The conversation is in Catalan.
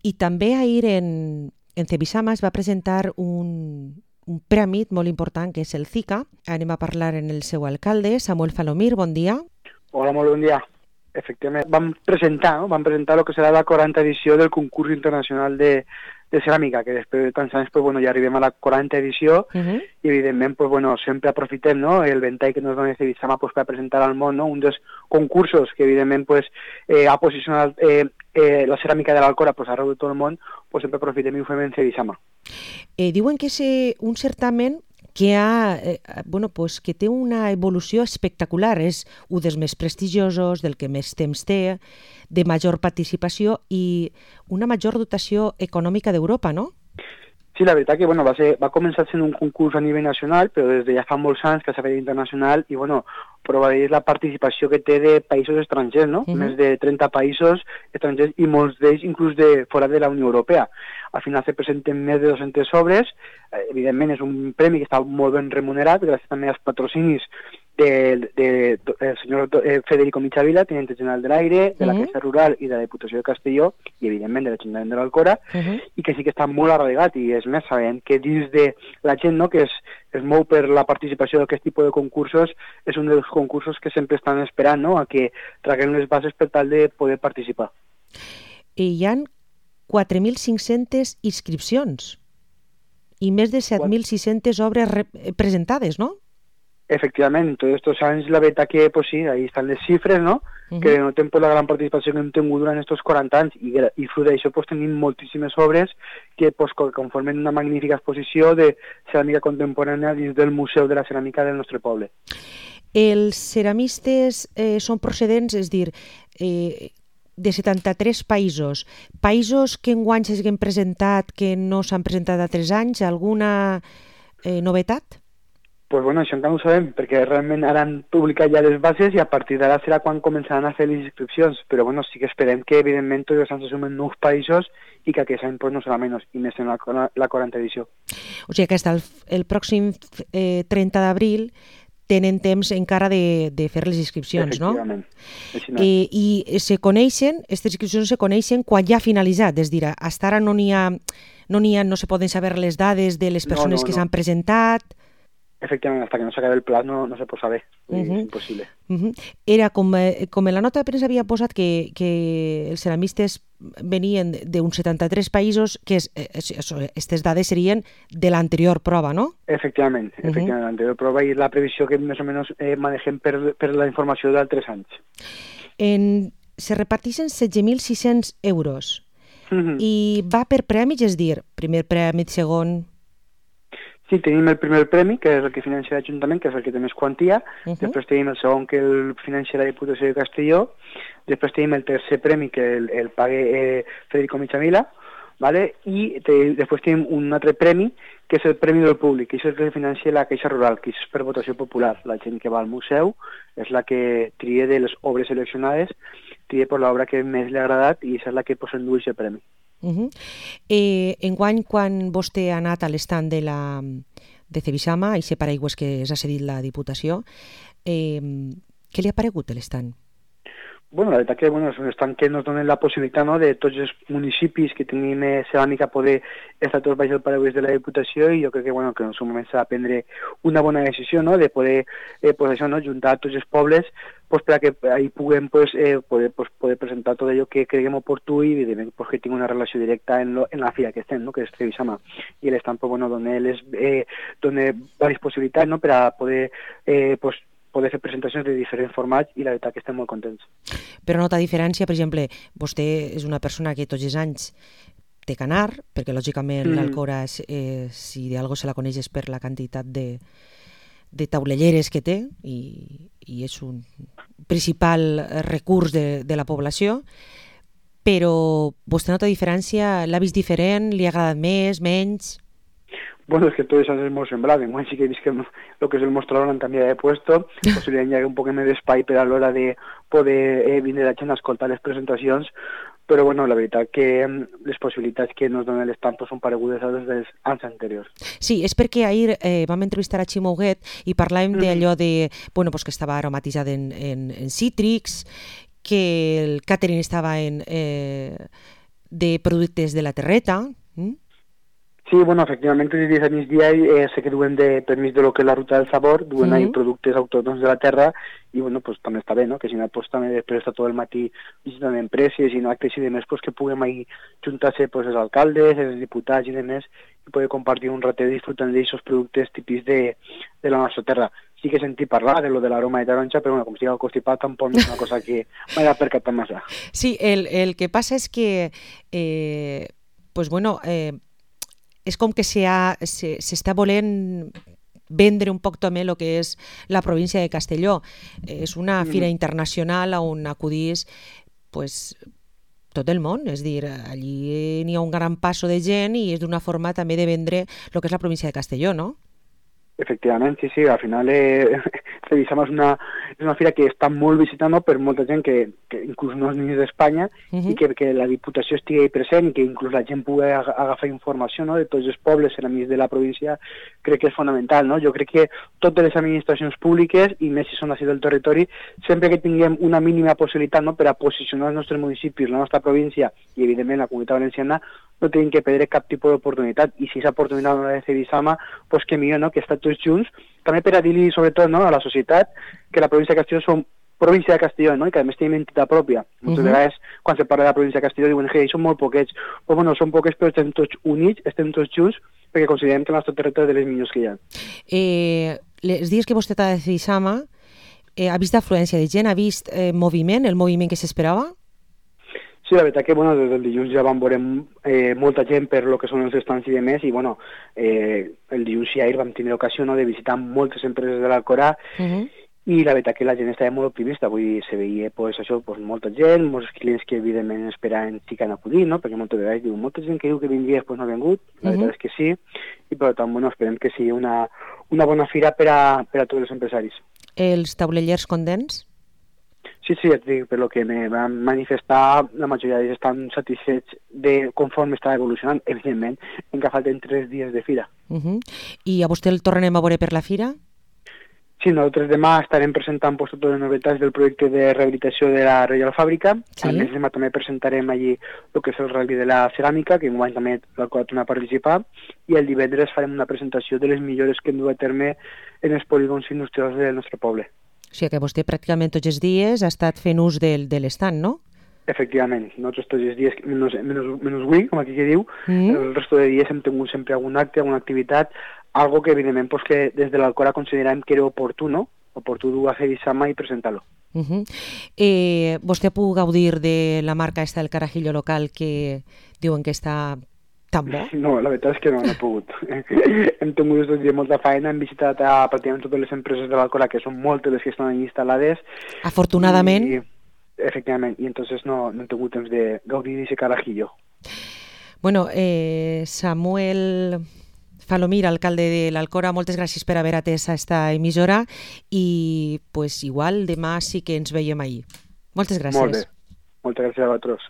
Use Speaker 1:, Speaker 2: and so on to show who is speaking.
Speaker 1: I també ahir en Cebisama es va presentar un premi molt important que és el CICA. Anem a parlar en el seu alcalde, Samuel Falomir, bon dia.
Speaker 2: Hola, molt bon dia. Efectivament, vam presentar el que serà la 40a edició del concurs internacional de ceràmica, que després de tants anys ja arribem a la 40a edició i evidentment sempre aprofitem el ventall que nos dona Cebisama per presentar al món un dels concursos que evidentment ha posicionat la ceràmica de l'Alcora arreu de tot el món, sempre aprofitem i ho fem en Cebisama.
Speaker 1: Diuen que és un certamen que que té una evolució espectacular, és un dels més prestigiosos, del que més temps té, de major participació i una major dotació econòmica d'Europa, no?
Speaker 2: Sí, la veritat que va començar sent un concurs a nivell nacional, però des de ja fa molts anys que s'ha fet internacional i prova és la participació que té de països estrangers, no? Més de 30 països estrangers i molts d'ells inclús de fora de la Unió Europea. Al final se presenten més de 200 obres, evidentment és un premi que està molt ben remunerat, gràcies també als patrocinis del senyor Federico Michavila, tinente general de l'Aire, de la Caixa Rural i de la Diputació de Castelló, i evidentment de l'Ajuntament de l'Alcora, i que sí que està molt arraigat, i és més, sabent que dins de la gent que es mou per la participació d'aquest tipus de concursos, és un dels concursos que sempre estan esperant a que traguem les bases per tal de poder participar.
Speaker 1: Hi ha 4.500 inscripcions i més de 7.600 obres presentades, no?
Speaker 2: Efectivament, en tots aquests anys la veritat que sí, ahí estan les xifres, no? Que notem la gran participació que hem tingut durant aquests 40 anys i fruit d'això tenim moltíssimes obres que conformen una magnífica exposició de ceràmica contemporània dins del Museu de la Ceràmica del nostre poble.
Speaker 1: Els ceramistes són procedents, és a dir, de 73 països. Països que enguany s'hagin presentat que no s'han presentat altres anys, alguna novetat?
Speaker 2: Pues això encara no ho sabem, perquè realment ara han publicat ja les bases i a partir d'ara serà quan començaran a fer les inscripcions, però sí que esperem que evidentment tots els anys se sumen nous països i que aquest any no serà menys, i més en la 40a edició.
Speaker 1: O sigui que fins el pròxim 30 d'abril tenen temps encara de fer les inscripcions, no?
Speaker 2: Efectivament.
Speaker 1: I aquestes inscripcions se coneixen quan ja ha finalitzat, és a dir, fins ara no se poden saber les dades de les persones que s'han presentat.
Speaker 2: Efectivament, hasta que no s'acabi el pla no se pot saber, és impossible.
Speaker 1: Era com en la nota de premsa havia posat que els ceramistes venien d'uns 73 països, que aquestes dades serien de l'anterior prova, no?
Speaker 2: Efectivament, l'anterior prova i la previsió que més o menys manegem per la informació d'altres anys.
Speaker 1: Se reparteixen 16.600 euros i va per premis, és a dir, primer premi, segon...
Speaker 2: Sí, tenim el primer premi, que és el que financia l'Ajuntament, que és el que té més quantia, després tenim el segon, que el financia la Diputació de Castelló, després tenim el tercer premi, que el paga Federico Michavila, i després tenim un altre premi, que és el Premi del Públic, que és el que financia la Caixa Rural, que és per votació popular. La gent que va al museu és la que tria de les obres seleccionades, tria per l'obra que més li ha agradat i és la que s'endueix el premi.
Speaker 1: Enguany, quan vostè ha anat a l'estand de Cebisama, i aquest paraigües que s'ha cedit la Diputació, què li ha paregut l'estand?
Speaker 2: La veritat que és un estand que ens dona la possibilitat de tots els municipis que tenim ceràmica poder estar tots baix el paraigües de la Diputació, i jo crec que en el seu moment s'ha de prendre una bona decisió de poder juntar tots els pobles perquè ahí puguem poder presentar tot allò que creguem oportú i evidentment que tingui una relació directa en la fira que estem, que és Cebisama. I l'estand dona diverses possibilitats per a poder fer presentacions de diferents formats i la veritat que estem molt contents.
Speaker 1: Però nota diferència, per exemple, vostè és una persona que tots els anys té que anar, perquè lògicament l'Alcora, si d'algú se la coneix és per la quantitat de taulelleres que té i és un principal recurs de la població, però vostè nota diferència, l'ha vist diferent, li ha agradat més, menys?
Speaker 2: Es que todo eso es muy semblable. Sí que veis que lo que es el mostrador han cambiado de puesto, posiblemente hi ha un poc més d'espai per a l'hora de poder vindre la gent a escoltar les presentacions, però la veritat que les possibilitats que ens donen l'estand són paregudes a les dels anys anteriors.
Speaker 1: Sí, és perquè ahir vam entrevistar a Ximo Huguet i parlàvem d'allò que estava aromatitzat en cítrics, que el catering estava de productes de la terreta.
Speaker 2: Sí, bueno, efectivament, els dies a migdia sé que duen de permís de lo que és la ruta del sabor, duen ahí productes autòctons de la terra, i bueno, pues també està bé, no? Que si no, pues també després està tot el matí visitant empreses i no actes i demés, pues que puguem ahí juntar-se pues els alcaldes, els diputats i demés, i poder compartir un ratet disfrutant d'aquests productes típics de la nostra terra. Sí que he sentit parlar de lo de l'aroma de taronja, però bueno, com si al constipat tampoc no és una cosa que m'hagi percatat massa.
Speaker 1: Sí, el que passa és que pues bueno, és com que s'està volent vendre un poc també el que és la província de Castelló. És una fira internacional on acudís pues, tot el món, és dir, allí n'hi ha un gran passo de gent i és d'una forma també de vendre el que és la província de Castelló, no?
Speaker 2: Efectivament, sí, al final Cedisama és una fira que està molt visitada per molta gent que inclús no és ni d'Espanya i que la Diputació estigui present i que inclús la gent pugui agafar informació, no, de tots els pobles enemics de la província, crec que és fonamental, no? Jo crec que totes les administracions públiques, i més si són així del territori, sempre que tinguem una mínima possibilitat, no, per a posicionar els nostres municipis, la nostra província i evidentment la Comunitat Valenciana, no tenim que perdre cap tipus d'oportunitat, i si aquesta oportunitat no la de Cedisama, doncs que millor, no?, que està tots junts, també per a dir-li, sobretot, no?, a la societat, que la província de Castelló som província de Castelló, no?, i que a més tenim entitat pròpia. Moltes vegades, quan se parla de la província de Castelló, diuen que són molt poquets. Però bueno, són poquets, però estem tots units, estem tots junts, perquè considerem que el nostre territori és de les millors que hi ha.
Speaker 1: Els dies que vostè està de Cedisama, ha vist afluència de gent, ha vist moviment, el moviment que s'esperava?
Speaker 2: Sí, la veritat que bueno, des del dilluns ja vam veure molta gent per lo que són els estants i demés, i bueno, el dilluns i ahir vam tindre ocasió, no, de visitar moltes empreses de l'Alcorà, i la veritat que la gent estava molt optimista, vull dir, se veia pues, això, pues, molta gent, molts clients que evidentment esperaven sí que han acudit, no? Perquè moltes vegades diuen, molta gent que diu que vindria pues, no ha vingut, la veritat és que sí, i per tant, bueno, esperem que sigui una bona fira per a tots els empresaris.
Speaker 1: Els taulellers contents?
Speaker 2: Sí, et dic, per lo que me van manifestar, la majoria d'ells estan satisfets de conforme està evolucionant. Evidentment, encara falten 3 dies de fira.
Speaker 1: I a vostè el tornem a veure per la fira?
Speaker 2: Sí, nosaltres demà estarem presentant pues, totes les novetats del projecte de rehabilitació de la Reial Fàbrica. Sí. A més, demà també presentarem allí el que és el rally de la ceràmica, que enguany també l'Alcorà torna a participar, i el divendres farem una presentació de les millores que hem dut a terme en els polígons industrials del nostre poble.
Speaker 1: O sigui que vostè pràcticament tots els dies ha estat fent ús de l'estand, no?
Speaker 2: Efectivament, nosaltres tots els dies, menys avui, com aquí que diu, el resto de dies hem tingut sempre algun acte, alguna activitat, algo que evidentment pues, que des de l'Alcorà considerem que era oportú dur a Cedisama i presentar-lo.
Speaker 1: Vostè pugui gaudir de la marca esta del carajillo local que diuen que està tan bo?
Speaker 2: No, la veritat és que no he pogut. Hem tingut aquests dies molta feina, hem visitat pràcticament totes les empreses de l'Alcorà, que són moltes les que estan allà instal·lades.
Speaker 1: Afortunadament.
Speaker 2: Efectivament, i entonces no he tingut temps de gaudir d'aquest carajillo.
Speaker 1: Bueno, Samuel Falomir, alcalde de l'Alcorà, moltes gràcies per haver atès esta emissora i pues igual demà sí que ens veiem ahir. Moltes gràcies.
Speaker 2: Molt bé, moltes gràcies a vosaltres.